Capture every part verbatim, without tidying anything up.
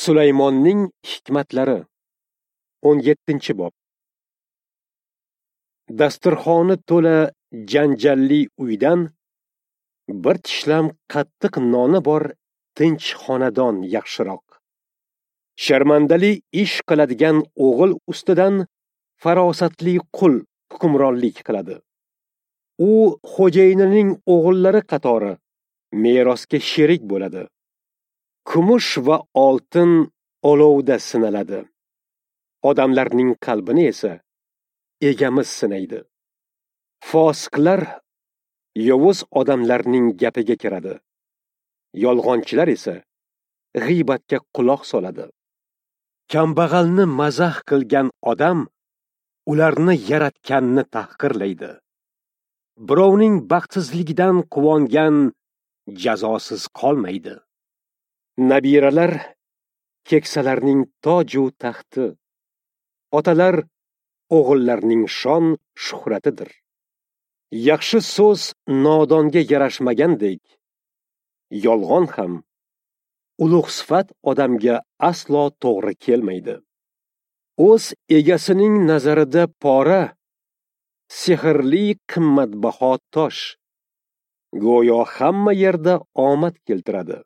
Sulaymonning hikmatlari o'n yettinchi bob. Dasturxoni to'la janjalli uydan bir tishlam qattiq noni bor tinch xonadon yaxshiroq. Sharmandali ish qiladigan o'g'il ustidan farosatli qul hukmronlik qiladi. U xo'jayinining o'g'illari qatori merosga sherik bo'ladi. Kumush va oltin olovda sinaladi. Odamlarning qalbini esa egamiz sinaydi. Fosiqlar yovuz odamlarning gapiga kiradi. Yolg'onchilar esa g'iybatga quloq soladi. Kambag'alni mazax qilgan odam ularni yaratganni tahqirlaydi. Birovning baxtsizligidan quvongan jazosiz qolmaydi. Nabiralar keksalarning toju taxti, otalar o'g'illarning shon shuhratidir. Yaxshi so'z nodonga yarashmagandek, yolg'on ham ulug' sifat odamga aslo to'g'ri kelmaydi. O'z egasining nazarida pora sehrli qimmatbaho tosh, go'yo hamma yerda omad keltiradi.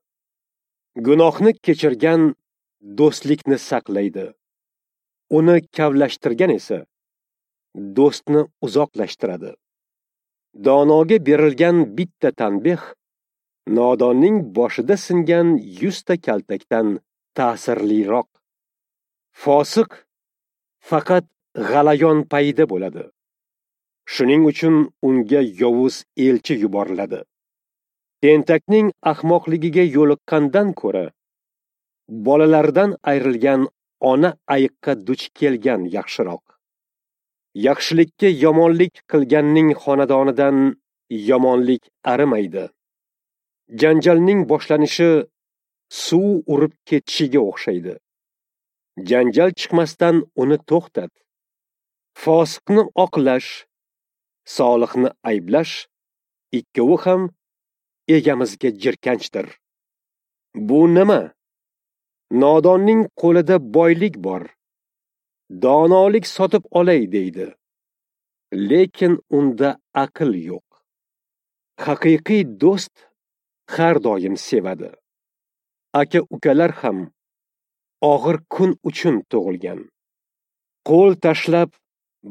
Gunohni kechirgan do'stlikni saqlaydi. Uni kavlashtirgan esa do'stni uzoqlashtiradi. Donoga berilgan bitta tanbeh nodonning boshida singan yuzta kaltakdan ta'sirliroq. Fosiq faqat g'alayon payida bo'ladi. Shuning uchun unga yovuz elchi yuboriladi. Tentakning ahmoqligiga yo'liqqandan ko'ra, bolalaridan ayrilgan ona ayiqqa duch kelgan yaxshiroq. Yaxshilikka yomonlik qilganning xonadonidan yomonlik arimaydi. Janjalning boshlanishi suv urib ketishiga o'xshaydi. Janjal chiqmasdan uni to'xtat. Fosiqni oqlash, solihni ayblash ikkovi ham egamizga jirkanchdir. Bu nima? Nodonning qo'lida boylik bor. Donolik sotib olay deydi. Lekin unda aql yo'q. Haqiqiy do'st har doim sevadi. Aka-ukalar ham og'ir kun uchun tug'ilgan. Qo'l tashlab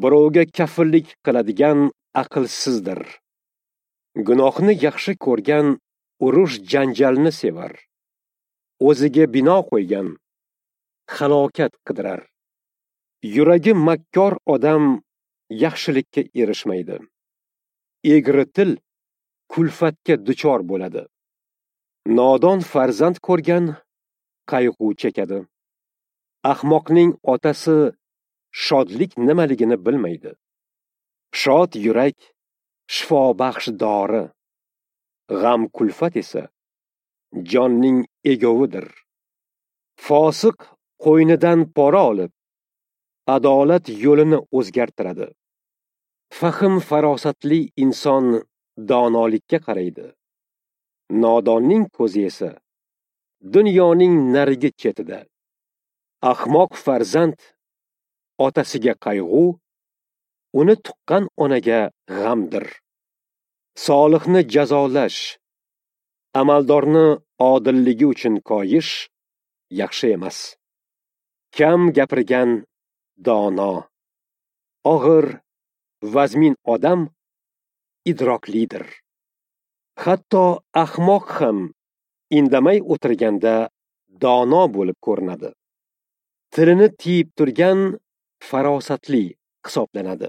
birovga kafillik qiladigan aqlsizdir. Gunohni yaxshi ko'rgan urush janjalni sevar. O'ziga bino qo'ygan halokat qidirar. Yuragi makkor odam yaxshilikka erishmaydi. Egri til kulfatga duchor bo'ladi. Nodon farzand ko'rgan qayg'u chekadi. Ahmoqning otasi shodlik nimaligini bilmaydi. Shod yurak shifobaxsh dori, g'am kulfat esa jonning egovidir. Fosiq qo'ynidan pora olib, adolat yo'lini o'zgartiradi. Fahm farosatli inson donolikka qaraydi. Nodonning ko'zi esa dunyoning narigi chetida. Ahmoq farzand otasiga qayg'u, uni tuqqan onaga g'amdir. Solihni jazolash, amaldorni odilligi uchun koyish yaxshi emas. Kam gapirgan dono, og'ir, vazmin odam idroklidir. Hatto ahmoq ham indamay o'tirganda dono bo'lib ko'rinadi. Tilini tiyib turgan farosatli hisoblanadi.